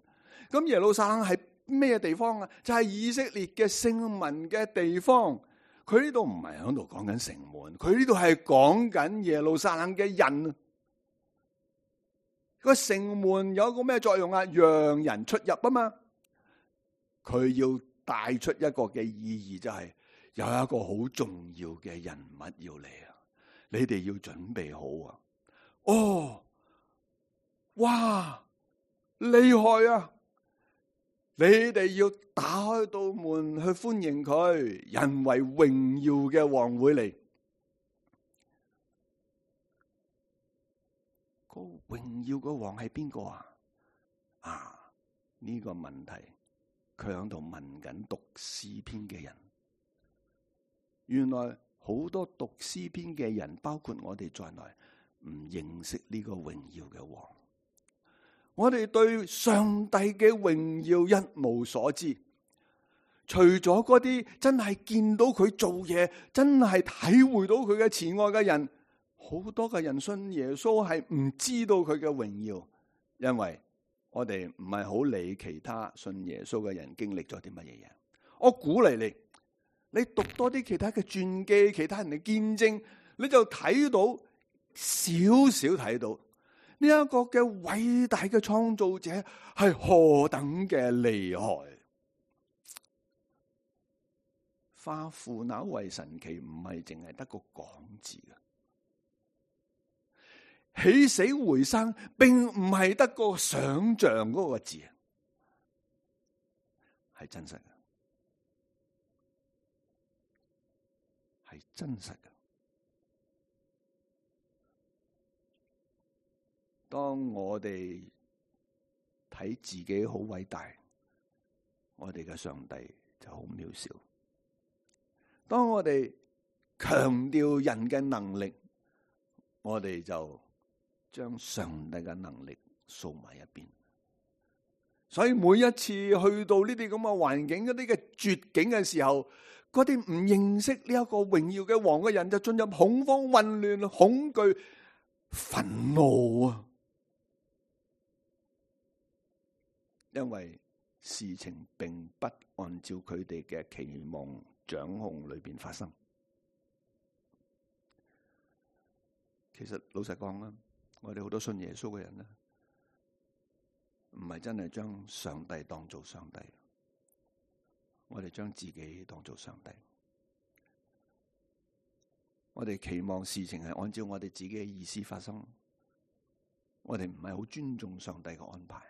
咁耶路撒冷係咩地方啊？就係以色列嘅聖民嘅地方。佢呢度唔係響度講緊城門，佢呢度係講緊耶路撒冷嘅人。個城門有個咩作用啊？讓人出入啊嘛。佢要帶出一個嘅意義，就係有一個好重要嘅人物要嚟啊！你哋要準備好啊！哇，厲害啊！你哋要打開道門去歡迎佢，人為榮耀嘅王會嚟。個榮耀嘅王係邊個啊？呢個問題佢喺度問緊讀詩篇嘅人。原來好多讀詩篇嘅人，包括我哋在內，唔認識呢個榮耀嘅王。我哋對上帝嘅榮耀一無所知，除咗嗰啲真係見到佢做嘢，真係體會到佢嘅慈愛嘅人，好多嘅人信耶穌係唔知道佢嘅榮耀，因為我哋唔係好理其他信耶穌嘅人經歷咗啲乜嘢嘢。我鼓勵你讀多啲其他嘅傳記，其他人嘅見證，你就睇到少睇到呢一個嘅偉大嘅創造者係何等嘅厲害。化腐朽為神奇，唔係淨係得個講字嘅，起死回生並唔係得個想象嗰個字，係真實嘅，係真實嘅。當我哋睇自己好偉大，我哋嘅上帝就好渺小。當我哋強調人嘅能力，我哋就將上帝嘅能力掃埋一邊。所以每一次去到呢啲咁嘅環境、一啲嘅絕境嘅時候，嗰啲唔認識呢一個榮耀嘅王嘅人就進入恐慌、混亂、恐懼、憤怒啊！因為事情並不按照佢哋嘅期望掌控裏邊發生。其實老實講啦，我哋好多信耶穌嘅人咧，唔係真係將上帝當做上帝，我哋將自己當做上帝。我哋期望事情係按照我哋自己嘅意思發生，我哋唔係好尊重上帝嘅安排。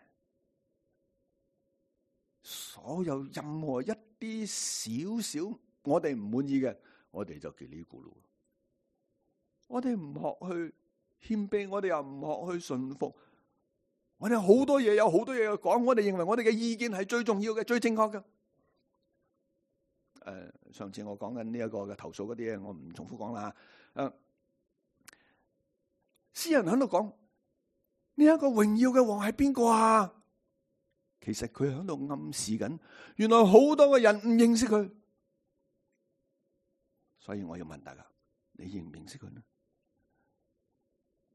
所有任何一啲少少我哋唔滿意嘅，我哋就嘰哩咕嚕。我哋唔學去謙卑，我哋又唔學去順服。我哋有好多嘢要講，我哋認為我哋嘅意見係最重要嘅、最正確嘅。上次我講緊呢一個嘅投訴嗰啲嘢，我唔重複講啦。詩人喺度講呢一個榮耀嘅王係邊個啊？其實佢喺度暗示緊，原來好多嘅人唔認識佢。所以我要問大家，你認唔認識佢呢？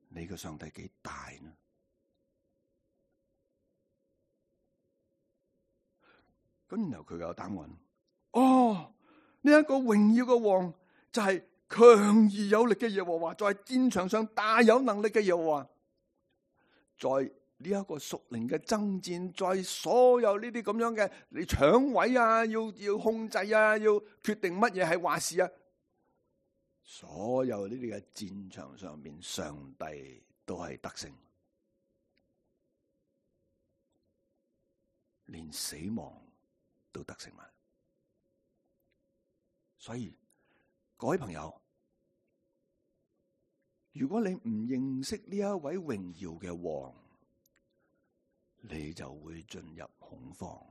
你嘅上帝幾大呢？咁然後佢有答案。哦，呢一個榮耀嘅王就係強而有力嘅耶和華，在戰場上大有能力嘅耶和華，在呢一個屬靈嘅爭戰，在所有呢啲咁樣嘅你搶位啊，要控制啊，要決定乜嘢係話事啊，所有呢啲嘅戰場上面，上帝都係得勝，連死亡都得勝埋。所以各位朋友，如果你唔認識呢一位榮耀嘅王，你就會進入恐慌，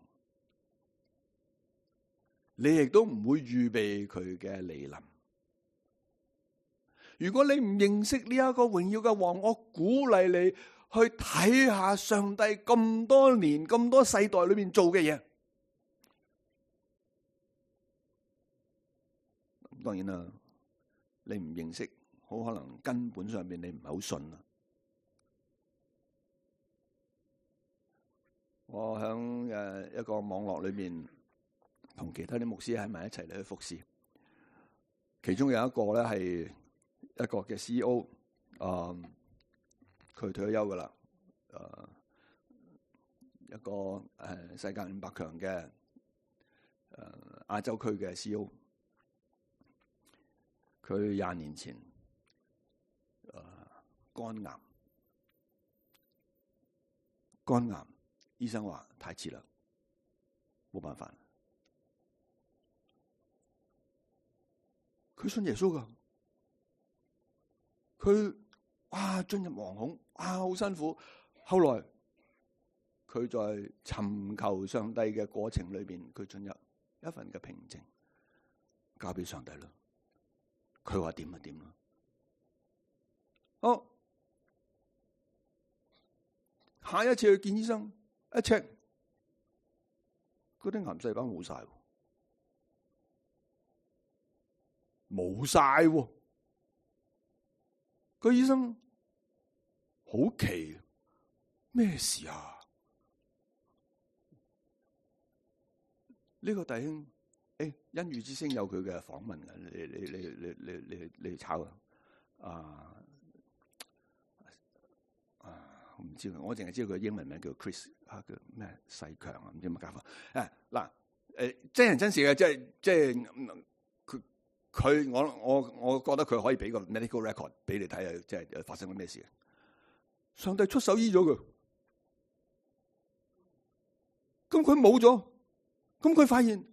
你亦都唔會預備佢嘅來臨。如果你唔認識呢一個榮耀嘅王，我鼓勵你去睇下上帝咁多年、咁多世代裏面做嘅嘢。當然啦，你唔認識，好可能根本上面你唔係好信啦。我喺一個網絡裏面同其他啲牧師喺埋一齊嚟去服侍，其中有一個咧係一個嘅 CEO， 佢退咗休噶啦，一個世界500強嘅亞洲區嘅 CEO， 佢20年前肝癌，醫生話太遲啦，冇辦法。佢信耶穌噶，佢進入惶恐，好辛苦。後來佢在尋求上帝嘅過程裏邊，佢進入一份嘅平靜，交俾上帝啦。佢話點就點啦。好，下一次去見醫生，一 check 嗰啲癌細胞冇晒，冇晒。個醫生好奇，咩事啊？呢個弟兄，恩語之聲有佢嘅訪問嘅，你炒啊？我唔知，我淨係知道佢英文名叫 Chris 叫咩世強啊，唔知乜搞法。真人真事嘅，即係佢我覺得佢可以俾個 medical record 俾你睇下，即係發生咗咩事。上帝出手醫咗佢，咁佢冇咗，咁佢發現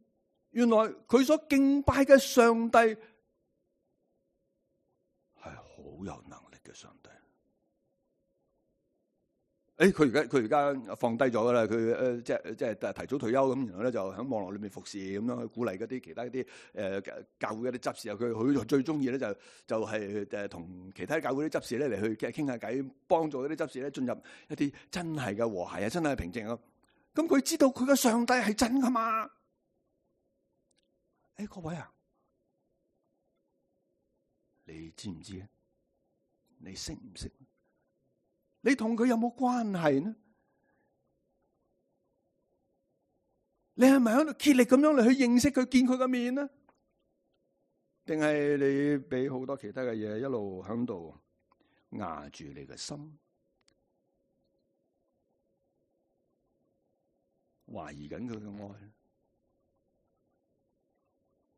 原來佢所敬拜嘅上帝係好有能力嘅上帝。佢而家放低咗噶啦，佢即係提早退休咁，然後咧就喺網絡裏面服侍咁樣去鼓勵嗰啲其他啲教會嗰啲執事啊。佢最中意咧就係同其他教會啲執事咧嚟去傾下偈，幫助嗰啲執事咧進入一啲真係嘅和諧啊，真係平靜啊。咁佢知道佢嘅上帝係真噶嘛？各位啊，你知唔知啊？你識唔識？你同佢有冇關係呢？你係咪喺度竭力咁樣嚟去認識佢、見佢嘅面呢？定係你俾好多其他嘅嘢一路喺度壓住你嘅心，懷疑緊佢嘅愛？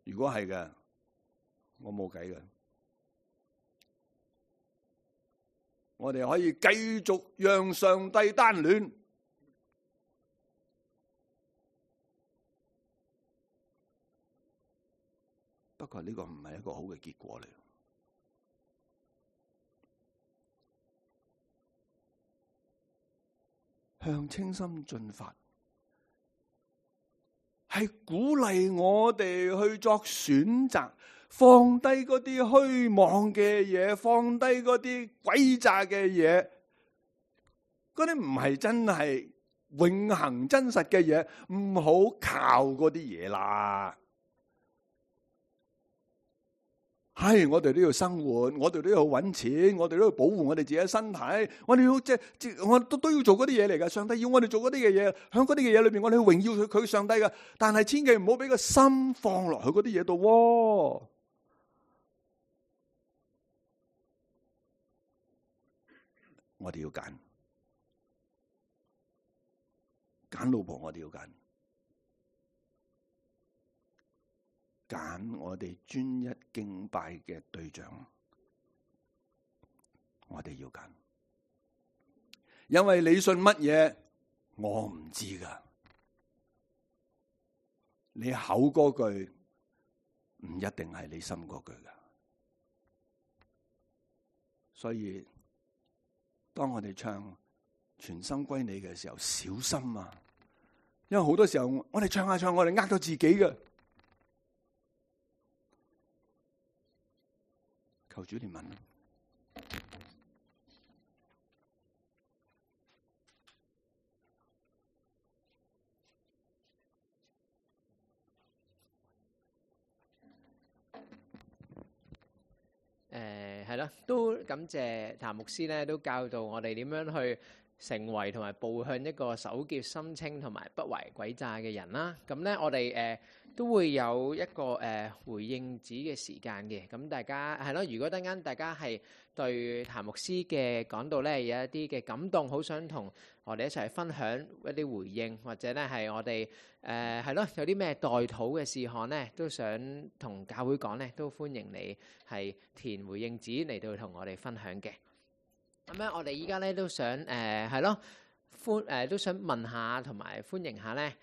如果係嘅，我冇計嘅，我哋可以繼續讓上帝單戀。不過呢個唔係一個好嘅結果嚟。向清心進發，係鼓勵我哋去作選擇，放低嗰啲虛妄嘅嘢，放低嗰啲詭詐嘅嘢，嗰啲唔係真係永恆真實嘅嘢，唔好靠嗰啲嘢啦。係，我哋都要生活，我哋都要搵錢，我哋都要保護我哋自己嘅身體，我哋要我都要做嗰啲嘢嚟噶。上帝要我哋做嗰啲嘅嘢，響嗰啲嘅嘢裏邊，我哋要榮耀佢上帝噶。但係千祈唔好俾個心放落去嗰啲嘢度。我哋要揀老婆，我哋要揀我哋專一敬拜嘅對象，我哋要揀，因為你信乜嘢，我唔知噶。你口嗰句唔一定係你心嗰句噶，所以當我哋唱全心歸你嘅時候，小心啊！因為好多時候我哋唱下唱，我哋呃咗自己嘅。求主憐憫。係咯，都感謝譚牧師咧，都教導我哋點樣去成為同埋步向一個手潔心清同埋不懷詭詐嘅人啦。咁咧，我哋都會有一個回應子嘅時間嘅。咁大家係咯，如果等間大家係對譚牧師嘅講道咧有一啲嘅感動，好想同我哋一齊分享一啲回應，或者咧係我哋係咯有啲咩代禱嘅事項咧，都想同教會講咧，都歡迎你係填回應紙嚟到同我哋分享嘅。咁咧，我哋依家咧都想係咯都想問下同埋歡迎下咧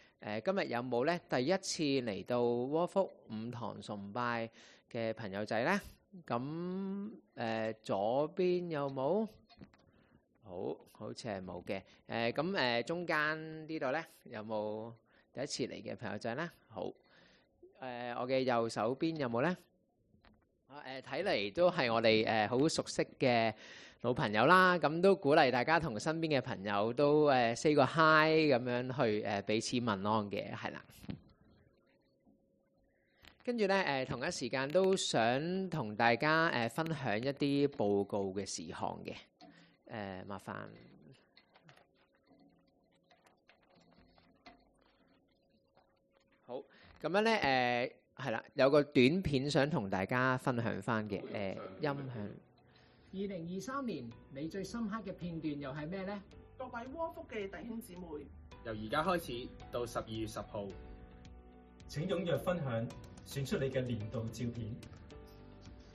今日有冇咧第一次嚟到窩福五堂崇拜嘅朋友仔咧？咁左邊有冇？好似係冇嘅。咁中間呢度咧有冇第一次嚟嘅朋友仔咧？好。我嘅右手邊有冇咧？睇嚟都係我哋好熟悉嘅老朋友啦。咁都鼓勵大家同身邊嘅朋友都say 個 hi 咁樣去彼此問安嘅，係啦。跟住咧同一時間都想同大家分享一啲報告嘅事項嘅。麻煩。好，咁樣咧係啦，有個短片想同大家分享翻嘅音響。2023年你最深刻嘅片段又係咩呢？各位窩福嘅弟兄姊妹，由而家開始到12月10號，請踴躍分享，選出你嘅年度照片。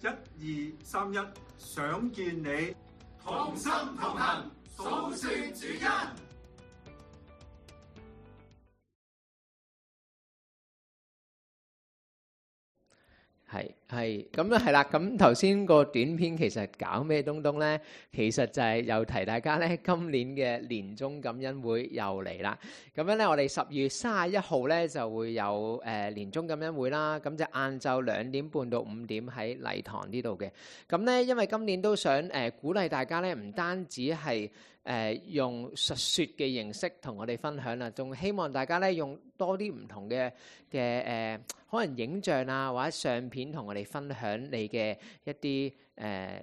1、2、3、1，想見你，同心同行，數算主恩。係咁咧，係啦。咁頭先個短片其實搞咩東東咧？其實就係又提大家咧，今年嘅年終感恩會又嚟啦。咁樣咧，我哋10月31號咧就會有年終感恩會啦。咁就晏晝2點半到5點喺禮堂呢度嘅。咁咧，因為今年都想鼓勵大家咧，唔單止係用述說嘅形式同我哋分享啦，仲希望大家咧用多啲唔同嘅可能影像啊或者相片同我哋分享你嘅一啲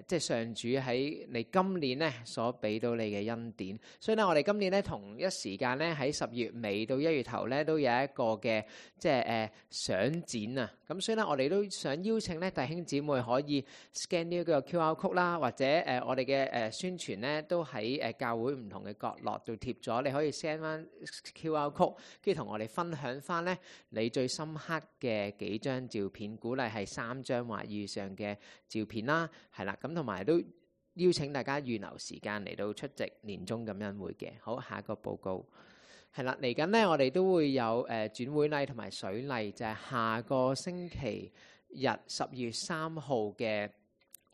即係上主喺你今年咧所俾到你嘅恩典。所以咧，我哋今年咧同一時間咧喺10月尾到1月頭咧都有一個嘅即係相展啊。咁所以咧，我哋都想邀請咧弟兄姊妹可以 scan 呢個 QR code 啦，或者我哋嘅宣傳咧都喺教會唔同嘅角落度貼咗，你可以 send 翻 QR code， 跟住同我哋分享翻咧你最深刻嘅幾張照片，鼓勵係3張或以上嘅照片啦，係啦，咁同埋都邀請大家預留時間嚟到出席年終感恩會嘅。好，下一個報告係啦，嚟緊呢，我哋都會有轉會禮同埋水禮，就係下個星期日12月3號嘅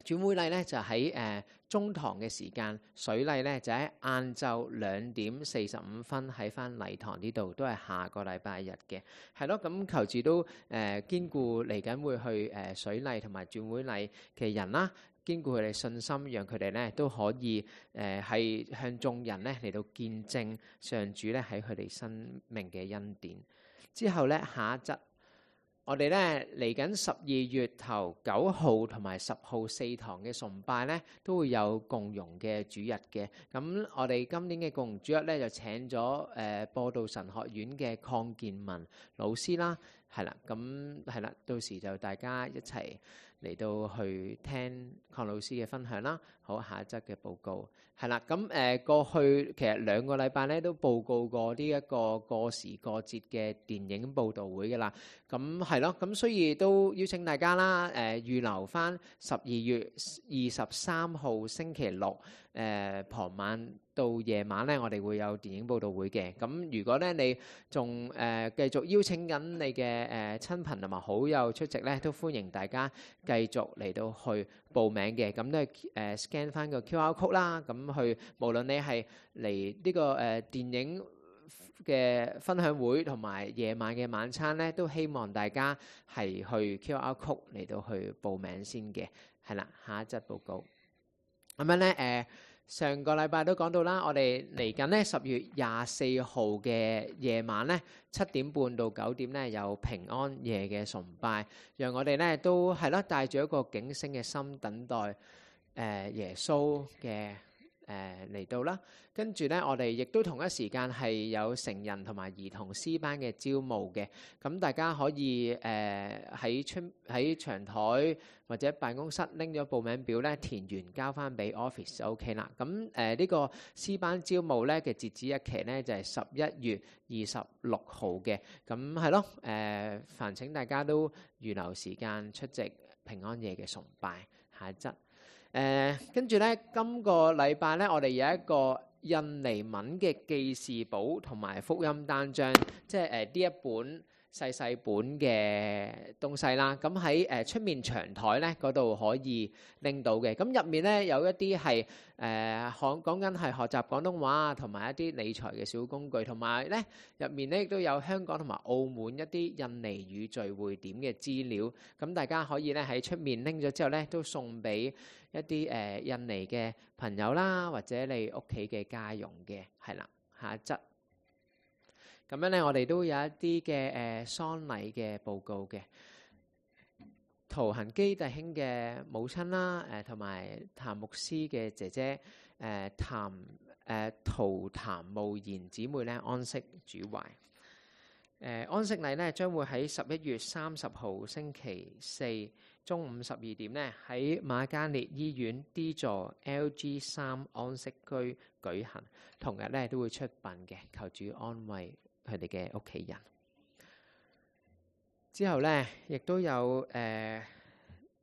轉會禮咧，就喺中堂嘅時間；水禮咧就喺晏晝2點45分喺翻禮堂呢度，都係下個禮拜日嘅。係咯，咁求主都堅固嚟緊會去水禮同埋轉會禮嘅人啦，堅固佢哋信心，讓佢哋咧都可以係向眾人咧嚟到見證上主咧喺佢哋生命嘅恩典。之後咧下一則。我哋咧嚟緊12月頭9號同埋10號4堂嘅崇拜咧，都會有共融嘅主日嘅。咁我哋今年嘅共融主日咧就請咗播道神學院嘅鄺建文老師啦，係啦，咁係啦，到時就大家一齊嚟到去聽鄺老師嘅分享啦。好，下一則嘅報告係啦，咁過去其實2個禮拜咧都報告過呢一個過時過節嘅電影報導會㗎啦。咁係咯，咁所以都邀請大家啦，預留翻12月23號星期六傍晚到夜晚咧，我哋會有電影報導會嘅。咁如果咧你仲繼續邀請緊你嘅親朋同埋好友出席咧，都歡迎大家繼續嚟到去報名嘅。咁都係scan 翻個 QR code 啦，咁去無論你係嚟呢個電影嘅分享會同埋夜晚嘅晚餐咧，都希望大家係去 QR code 嚟到去報名先嘅。係啦，下一則報告咁樣咧上個禮拜都講到啦，我哋嚟緊咧10月24號嘅夜晚咧7點半到9點咧有平安夜嘅崇拜，讓我哋咧都係咯帶住一個警醒嘅心等待耶穌嘅嚟到啦。跟住咧我哋亦都同一時間係有成人同埋兒童詩班嘅招募嘅，咁大家可以喺長台或者辦公室拎咗報名表咧填完交翻俾 office 就 OK 啦。咁呢個詩班招募咧嘅截止日期咧就係11月26號嘅。咁係咯，煩請大家都預留時間出席平安夜嘅崇拜。下一則跟住咧今個禮拜咧我哋有一個印尼文嘅記事簿同埋福音單張，即係呢一本細細本嘅東西啦。咁喺出面長台咧嗰度可以拎到嘅。咁入面咧有一啲係講緊係學習廣東話同埋一啲理財嘅小工具，同埋咧入面咧亦都有香港同埋澳門一啲印尼語聚會點嘅資料。咁大家可以咧喺出面拎咗之後咧，都送俾一啲印尼嘅朋友啦，或者你屋企嘅家用嘅。係啦，下一則。咁樣咧，我哋都有一啲嘅喪禮嘅報告嘅。陶恒基弟兄嘅母親啦，同埋譚牧師嘅姐姐，陶譚慕賢姊妹咧安息主懷。安息禮咧將會喺11月30號星期四中午12點咧喺瑪嘉烈醫院 D 座 LG3 安息居舉行，同日咧都會出殯嘅，求主安慰佢哋嘅屋企人。之後咧，亦都有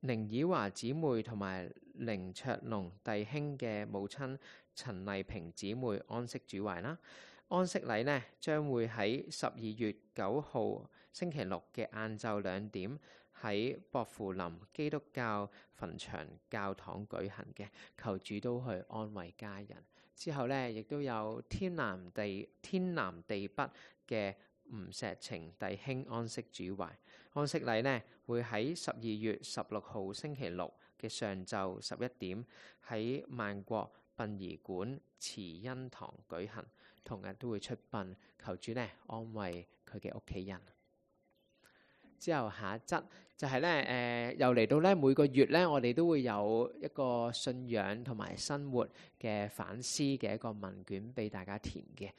凌以華姊妹同埋凌卓龍弟兄嘅母親陳麗萍姊妹安息主懷啦。安息禮呢將會喺12月9號星期六嘅晏晝2點喺薄扶林基督教墳場教堂舉行嘅，求主都去安慰家人。之後咧，亦都有天南地北嘅吳石晴弟兄安息主懷。安息禮呢會喺12月16號星期六嘅上晝11點喺萬國殯儀館慈恩堂舉行，同日都會出殯，求主呢安慰佢嘅屋企人。之後下一則就係咧，又嚟到咧每個月咧，我哋都會有一個信仰同埋生活嘅反思嘅一個問卷俾大家填嘅。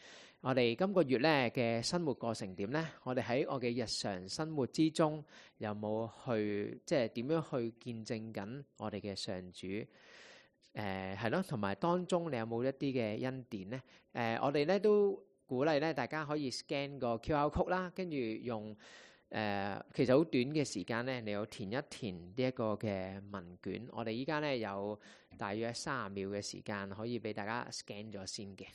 我哋今個月咧嘅生活過程點咧？我哋喺我嘅日常生活之中有冇去即係點樣去見證緊我哋嘅上主？係咯，同埋當中你有冇一啲嘅恩典咧？我哋咧都鼓勵咧大家可以 scan 個 QR code 啦，跟住用其實好短嘅時間咧，你要填一填呢一個嘅問卷。我哋依家咧有大約30秒嘅時間，可以俾大家 scan 咗先嘅。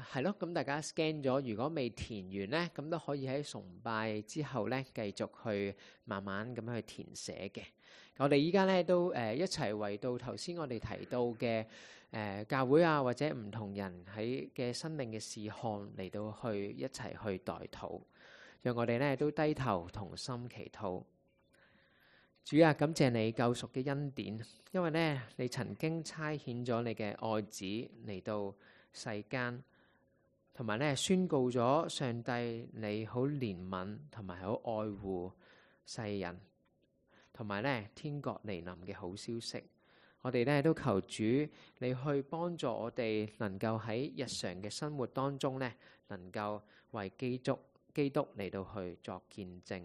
係咯，咁大家 scan 咗，如果未填完咧，咁都可以喺崇拜之後咧繼續去慢慢咁樣去填寫嘅。我哋依家咧都一齊為到頭先我哋提到嘅教會啊，或者唔同人喺嘅生命嘅事項嚟到去一齊去代禱，讓我哋咧都低頭同心祈禱。主啊，感謝你救贖嘅恩典，因為咧你曾經差遣咗你嘅愛子嚟到世間，同埋咧宣告咗上帝你好憐憫同埋好愛護世人，同埋咧天國來臨嘅好消息。我哋咧都求主你去幫助我哋，能夠喺日常嘅生活當中咧，能夠為基督嚟到去作見證。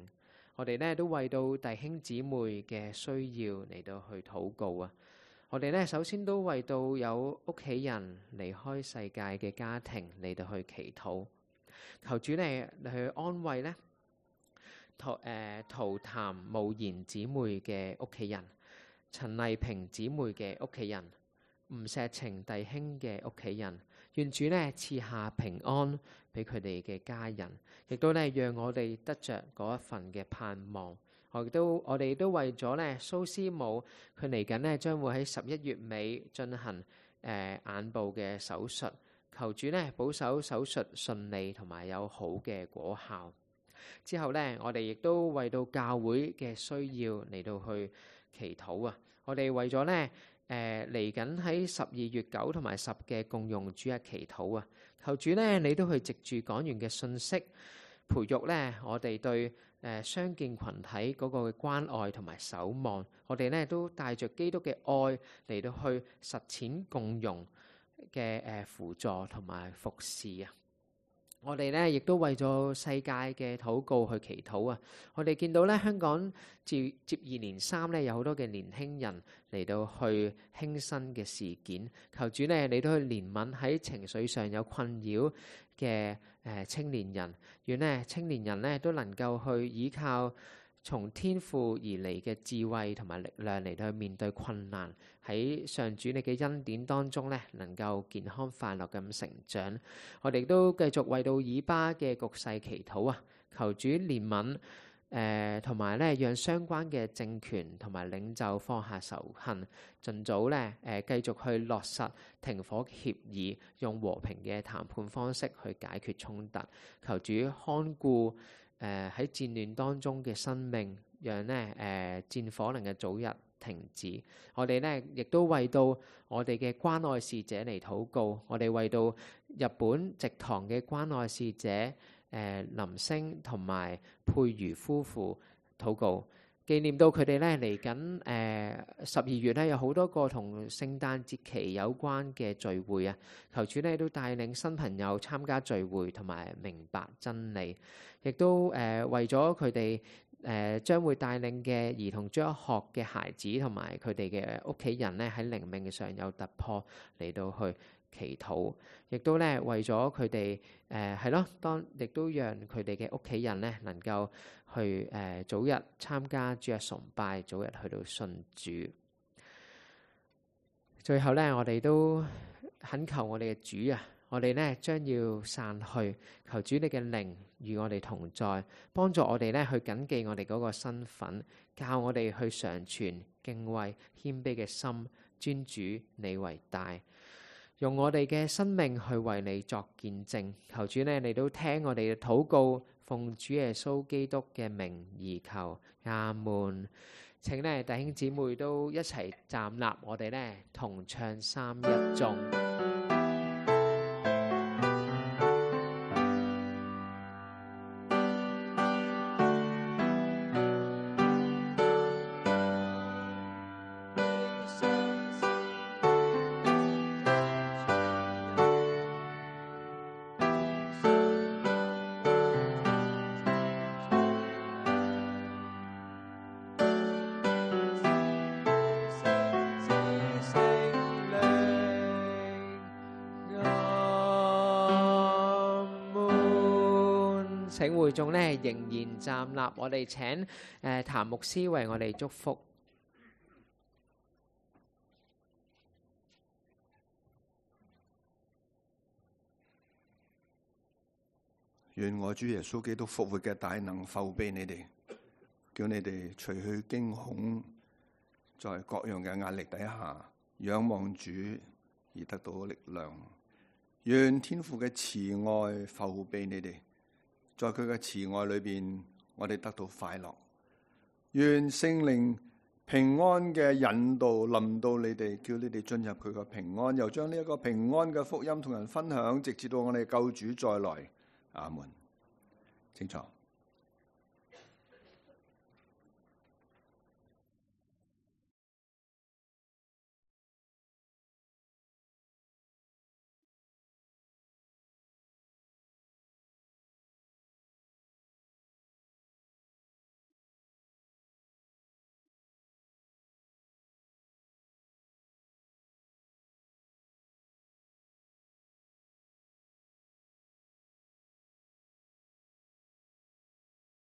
我哋咧都為到弟兄姊妹嘅需要嚟到去禱告啊！我哋咧首先都為到有屋企人離開世界嘅家庭嚟到去祈禱，求主你去安慰咧陶譚慕賢姊妹嘅屋企人，陳麗萍姊妹嘅屋企人，吳錫晴弟兄嘅屋企人，願主咧賜下平安俾佢哋嘅家人，亦都咧讓我哋得着嗰一份嘅盼望。我哋都為咗咧蘇師母，佢嚟緊咧將會喺11月尾進行眼部嘅手術，求主咧保守手術順利同埋有好嘅果效。之後咧，我哋亦都為到教會嘅需要嚟到去祈禱啊！我哋為咗咧嚟緊喺12月9同埋10嘅共用主日祈禱啊！求主咧你都去藉住講完嘅信息，培育咧我哋對相見群體嗰個嘅關愛同埋守望，我哋咧都帶着基督嘅愛嚟到去實踐共融嘅輔助同埋服侍啊！我哋咧亦都為咗世界嘅禱告去祈禱啊！我哋見到咧香港接二連三咧有好多嘅年輕人嚟到去輕生嘅事件，求主咧你都去憐憫喺情緒上有困擾嘅青年人，願咧青年人咧都能夠去依靠從天父而嚟嘅智慧同埋力量嚟到去面對困難，喺上主你嘅恩典當中咧，能夠健康快樂咁成長。我哋都繼續為到以巴嘅局勢祈禱啊，求主憐憫同埋咧讓相關嘅政權同埋領袖放下仇恨，盡早咧繼續去落實停火協議，用和平嘅談判方式去解決衝突。求主看顧喺戰亂當中嘅生命，讓咧戰火能夠早日停止。我哋咧亦都為到我哋嘅關愛使者嚟禱告，我哋為到日本植堂嘅關愛使者林星同埋佩如夫婦禱告，紀念到佢哋咧嚟緊12月咧有好多個同聖誕節期有關嘅聚會啊！求主咧都帶領新朋友參加聚會同埋明白真理，亦都為咗佢哋將會帶領嘅兒童中學嘅孩子同埋佢哋嘅屋企人咧喺靈命上有突破嚟到去祈禱，亦都咧為咗佢哋係咯，亦都讓佢哋嘅屋企人咧能夠去早日參加主日崇拜，早日去到信主。最後咧，我哋都懇求我哋嘅主啊，我哋咧將要散去，求主你嘅靈與我哋同在，幫助我哋咧去謹記我哋嗰個身份，教我哋去常存敬畏謙卑嘅心，尊主你為大。用我哋嘅生命去為你作見證，求主呢，你都聽我哋嘅禱告，奉主耶穌基督嘅名而求，阿門。請呢弟兄姊妹都一齊站立，我哋呢同唱3-1頌。請會眾咧仍然站立，我哋請譚牧師為我哋祝福。願我主耶穌基督復活嘅大能覆庇你哋，叫你哋除去驚恐，在各樣嘅壓力底下仰望主而得到力量。願天父嘅慈愛覆庇你哋，在佢嘅慈愛裏邊，我哋得到快樂。願聖靈平安嘅引導臨到你哋，叫你哋進入佢嘅平安，又將呢一個平安嘅福音同人分享，直至到我哋救主再來。阿門。請坐。